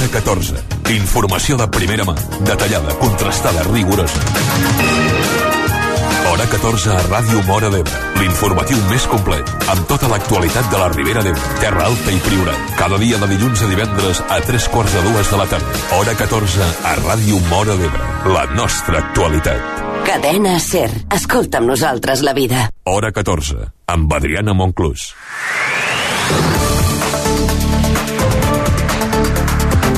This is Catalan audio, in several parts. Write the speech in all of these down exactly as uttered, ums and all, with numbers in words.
Hora catorze. Informació de primera mà, detallada, contrastada, rigorosa. Hora catorze a Ràdio Móra d'Ebre. L'informatiu més complet, amb tota l'actualitat de la Ribera d'Ebre, Terra Alta i Priorat. Cada dia de dilluns a divendres a tres quarts de dues de la tarda. Hora catorze a Ràdio Móra d'Ebre. La nostra actualitat. Cadena SER. Escolta amb nosaltres la vida. Hora catorze, amb Adriana Monclús.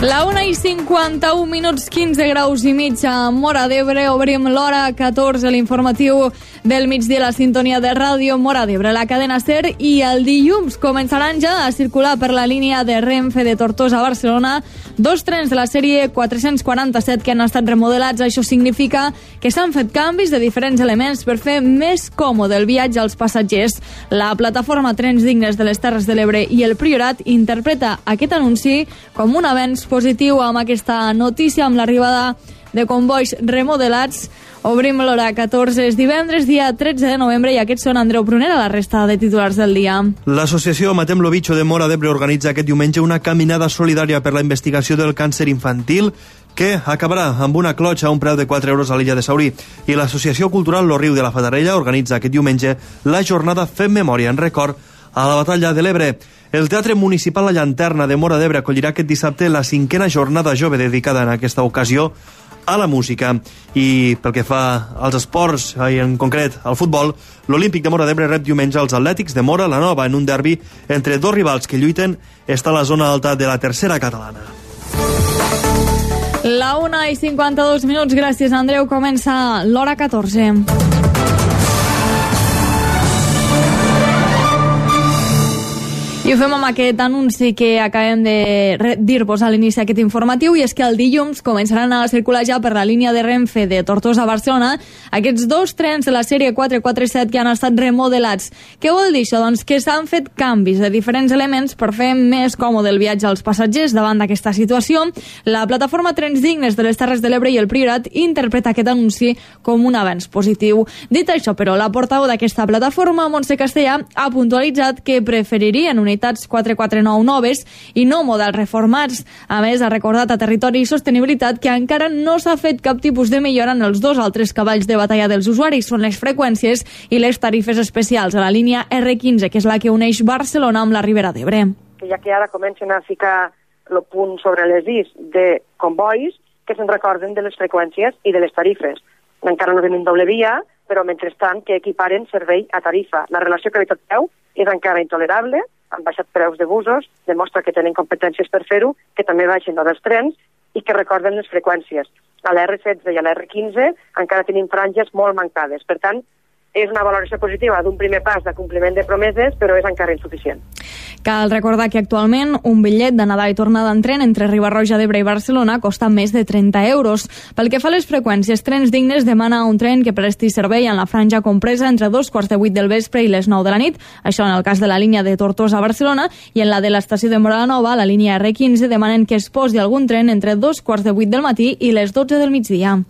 La una i cinquanta-un minuts, quinze graus i mig a Móra d'Ebre. Obrim l'hora catorze, l'informatiu del migdia, la sintonia de Ràdio Móra d'Ebre, la cadena SER, i el dilluns començaran ja a circular per la línia de Renfe de Tortosa a Barcelona dos trens de la sèrie quatre-cents quaranta-set que han estat remodelats. Això significa que s'han fet canvis de diferents elements per fer més còmode el viatge als passatgers. La plataforma Trens Dignes de les Terres de l'Ebre i el Priorat interpreta aquest anunci com un avenç positiu. Amb aquesta notícia, amb l'arribada de combois remodelats, obrim l'hora catorze. És divendres, dia tretze de novembre, i aquests són Andreu Prunera, la resta de titulars del dia. L'associació Matem lo Bicho de Móra d'Ebre organitza aquest diumenge una caminada solidària per la investigació del càncer infantil que acabarà amb una clotxa a un preu de quatre euros a l'illa de Saurí. I l'associació cultural Lo Riu de la Fatarella organitza aquest diumenge la jornada Fem Memòria en record a la batalla de l'Ebre. El Teatre Municipal La Llanterna de Móra d'Ebre acollirà aquest dissabte la cinquena jornada jove dedicada en aquesta ocasió a la música. I pel que fa als esports, i en concret al futbol, l'Olímpic de Móra d'Ebre rep diumenge els Atlètics de Móra la Nova en un derbi entre dos rivals que lluiten. Està a la zona alta de la tercera catalana. La una i cinquanta-dos minuts, gràcies Andreu. Comença l'hora catorze. I ho fem amb aquest anunci que acabem de dir-vos a l'inici d'aquest informatiu, i és que el dilluns començaran a circular ja per la línia de Renfe de Tortosa a Barcelona aquests dos trens de la sèrie quatre quaranta-set que han estat remodelats. Què vol dir això? Doncs que s'han fet canvis de diferents elements per fer més còmode el viatge als passatgers. Davant d'aquesta situació, la plataforma Trens Dignes de les Terres de l'Ebre i el Priorat interpreta aquest anunci com un avenç positiu. Dit això, però, la portaveu d'aquesta plataforma, Montse Castellà, ha puntualitzat que preferirien unitats quatre quaranta-nou noves i no models reformats. A més, ha recordat a Territori i Sostenibilitat que encara no s'ha fet cap tipus de millora en els dos altres cavalls de batalla dels usuaris. Són les freqüències i les tarifes especials a la línia erre quinze, que és la que uneix Barcelona amb la Ribera d'Ebre. Ja que ara comencen a ficar el punt sobre les is de convois, que se'n recorden de les freqüències i de les tarifes. Encara no tenim doble via, però mentrestant que equiparen servei a tarifa. La relació qualitat-preu és encara intolerable, han baixat preus de busos, demostra que tenen competències per fer-ho, que també baixen dels trens i que recorden les freqüències. A la erre setze i a la erre quinze encara tenim franges molt mancades. Per tant, és una valoració positiva d'un primer pas de compliment de promeses, però és encara insuficient. Cal recordar que actualment un bitllet d'anada i tornada en tren entre Riba-roja d'Ebre i Barcelona costa més de trenta euros. Pel que fa a les freqüències, Trens Dignes demana un tren que presti servei en la franja compresa entre dos quarts de vuit del vespre i les nou de la nit, això en el cas de la línia de Tortosa a Barcelona, i en la de l'estació de Móra la Nova, la línia erre quinze, demanen que es posi algun tren entre dos quarts de vuit del matí i les dotze del migdia.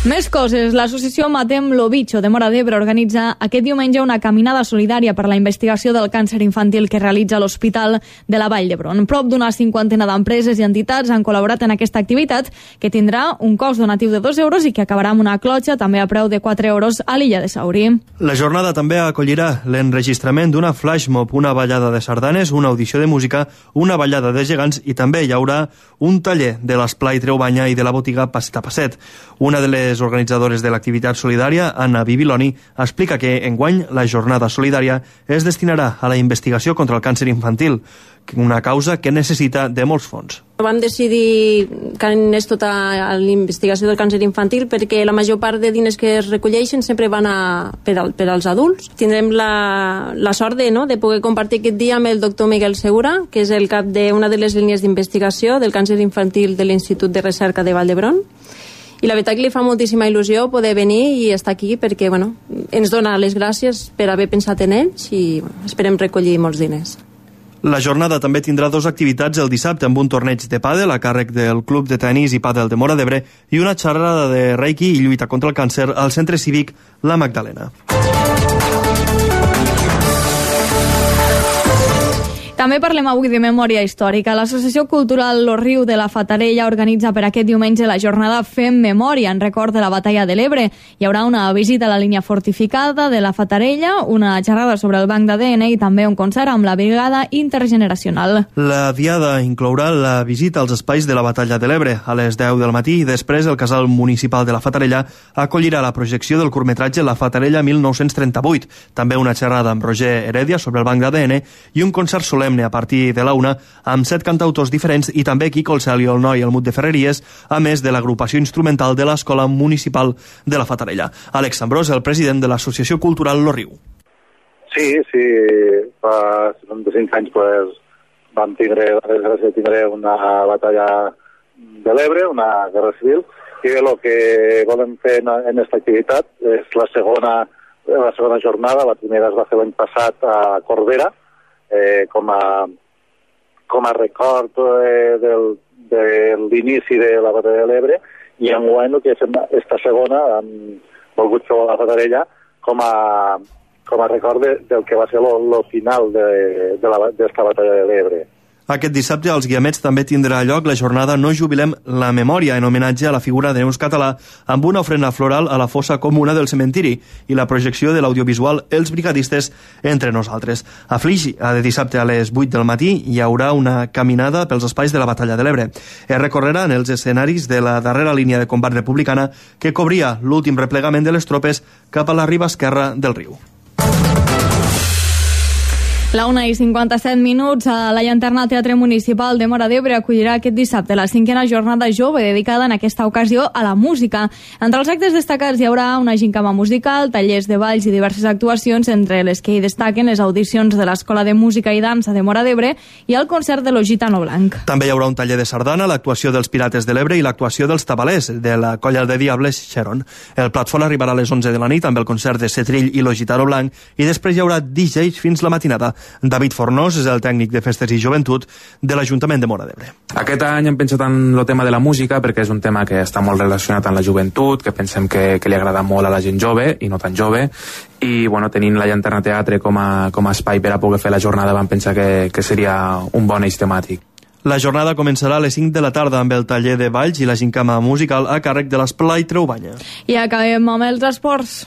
Més coses. L'associació Matem lo Bicho de Móra d'Ebre organitza aquest diumenge una caminada solidària per la investigació del càncer infantil que realitza l'Hospital de la Vall d'Hebron. Prop d'una cinquantena d'empreses i entitats han col·laborat en aquesta activitat, que tindrà un cost donatiu de dos euros i que acabarà amb una clotxa també a preu de quatre euros a l'illa de Saurí. La jornada també acollirà l'enregistrament d'una flash mob, una ballada de sardanes, una audició de música, una ballada de gegants i també hi haurà un taller de l'esplai Treubanya i de la botiga Passet a Passet. Una de les organitzadores de l'activitat solidària, Anna Bibiloni, explica que enguany la jornada solidària es destinarà a la investigació contra el càncer infantil, una causa que necessita de molts fons. Vam decidir que anés tota a la investigació del càncer infantil perquè la major part de diners que es recolleixen sempre van a, per, al, per als adults. Tindrem la, la sort de, no, de poder compartir aquest dia amb el doctor Miguel Segura, que és el cap d'una de les línies d'investigació del càncer infantil de l'Institut de Recerca de Vall d'Hebron. I la veritat que li fa moltíssima il·lusió poder venir i estar aquí perquè bueno, ens dona les gràcies per haver pensat en ells i bueno, esperem recollir molts diners. La jornada també tindrà dues activitats el dissabte amb un torneig de pàdel a càrrec del Club de Tenis i Pàdel de Móra d'Ebre i una xerrada de Reiki i lluita contra el càncer al Centre Cívic La Magdalena. També parlem avui de memòria històrica. L'Associació Cultural Lo Riu de la Fatarella organitza per aquest diumenge la jornada Fem Memòria en record de la Batalla de l'Ebre. Hi haurà una visita a la línia fortificada de la Fatarella, una xerrada sobre el banc d'A D N i també un concert amb la Brigada Intergeneracional. La diada inclourà la visita als espais de la Batalla de l'Ebre a les deu del matí i després el Casal Municipal de la Fatarella acollirà la projecció del curtmetratge La Fatarella mil nou-cents trenta-vuit, també una xerrada amb Roger Heredia sobre el banc d'A D N i un concert solemne a partir de la una amb set cantautors diferents i també Quico el Cel i el Noi el Mut de Ferreries, a més de l'agrupació instrumental de l'Escola Municipal de la Fatarella. Àlex Ambrós, el president de l'Associació Cultural Lo Riu. Sí, sí, fa setanta-cinc anys pues, vam tindre, de tindre una batalla de l'Ebre, una guerra civil, i el que volem fer en aquesta activitat és la segona, la segona jornada. La primera es va fer l'any passat a Corbera, eh, com, a, com a record eh, del, de l'inici de la batalla de l'Ebre, i enguany que és esta segona hem volgut fer a la Fatarella com a, com a record de, del que va ser el final de, de la, d'esta batalla de l'Ebre. Aquest dissabte als Guiamets també tindrà lloc la jornada No jubilem la memòria, en homenatge a la figura de Neus Català, amb una ofrena floral a la fossa comuna del cementiri i la projecció de l'audiovisual Els brigadistes entre nosaltres. A Flix, de dissabte a les vuit del matí, hi haurà una caminada pels espais de la Batalla de l'Ebre. Es recorrerà en els escenaris de la darrera línia de combat republicana que cobria l'últim replegament de les tropes cap a la riba esquerra del riu. La una i cinquanta-set minuts, a la Llanterna Teatre Municipal de Móra d'Ebre acollirà aquest dissabte la cinquena jornada jove dedicada en aquesta ocasió a la música. Entre els actes destacats hi haurà una gincama musical, tallers de balls i diverses actuacions, entre les que hi destaquen les audicions de l'Escola de Música i Dansa de Móra d'Ebre i el concert de lo Gitano Blanc. També hi haurà un taller de sardana, l'actuació dels Pirates de l'Ebre i l'actuació dels Tabalers, de la Colla de Diables Xeron. El plat fort arribarà a les onze de la nit amb el concert de Setrill i lo Gitano Blanc i després hi haurà D Js fins la matinada. David Fornós és el tècnic de Festes i Joventut de l'Ajuntament de Móra d'Ebre. Aquest any hem pensat en el tema de la música perquè és un tema que està molt relacionat amb la joventut, que pensem que, que li agrada molt a la gent jove i no tan jove, i bueno, tenint la Llanterna Teatre com a, com a espai per a poder fer la jornada vam pensar que, que seria un bon eix temàtic. La jornada començarà a les cinc de la tarda amb el taller de balls i la gincama musical a càrrec de l'Esplai Treubanya. I acabem amb els esports.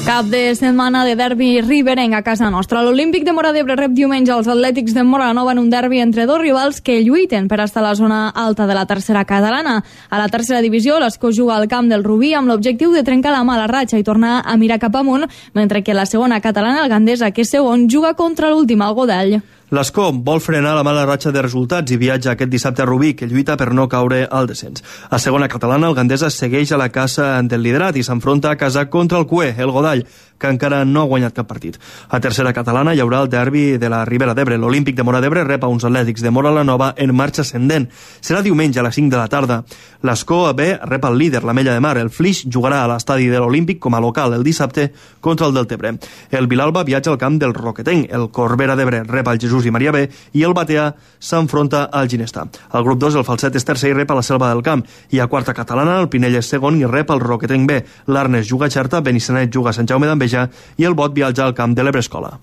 Cap de setmana de derbi riberenc a casa nostra. L'Olímpic de Móra d'Ebre rep diumenge els Atlètics de Móra Nova en un derbi entre dos rivals que lluiten per estar a la zona alta de la tercera catalana. A la tercera divisió, l'Escó juga al camp del Rubí amb l'objectiu de trencar la mala ratxa i tornar a mirar cap amunt, mentre que la segona catalana, el Gandesa, que és segon, juga contra l'últim, el Godall. L'Escó vol frenar la mala ratxa de resultats i viatja aquest dissabte a Rubí, que lluita per no caure al descens. A segona catalana, el Gandesa segueix a la caça del liderat i s'enfronta a casa contra el Cué, el Godall, que encara no ha guanyat cap partit. A tercera catalana hi haurà el derbi de la Ribera d'Ebre. L'Olímpic de Móra d'Ebre rep a uns Atlètics de Móra la Nova en marxa ascendent. Serà diumenge a les cinc de la tarda. L'Escó B rep el líder, l'Ametlla de Mar. El Flix jugarà a l'estadi de l'Olímpic com a local el dissabte contra el Deltebre. El Vilalba viatja al camp del Roquetenc. El Corbera d'Ebre rep al Jesús i Maria B i el Batea s'enfronta al Ginestà. Al grup dos, el Falset és tercer i rep a la Selva del Camp. I a quarta catalana, el Pinell és segon i rep al Roquetenc B. L'Arnes juga a Xerta, Benissanet juga a Sant Jaume d'Enveja i el Bot viatja al camp de l'Ebrescola.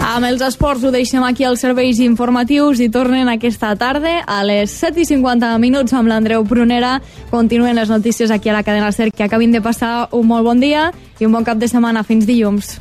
Amb els esports ho deixem aquí als serveis informatius i tornen aquesta tarda a les set i cinquanta minuts amb l'Andreu Prunera. Continuen les notícies aquí a la cadena SER. Que acabin de passar un molt bon dia i un bon cap de setmana. Fins dilluns.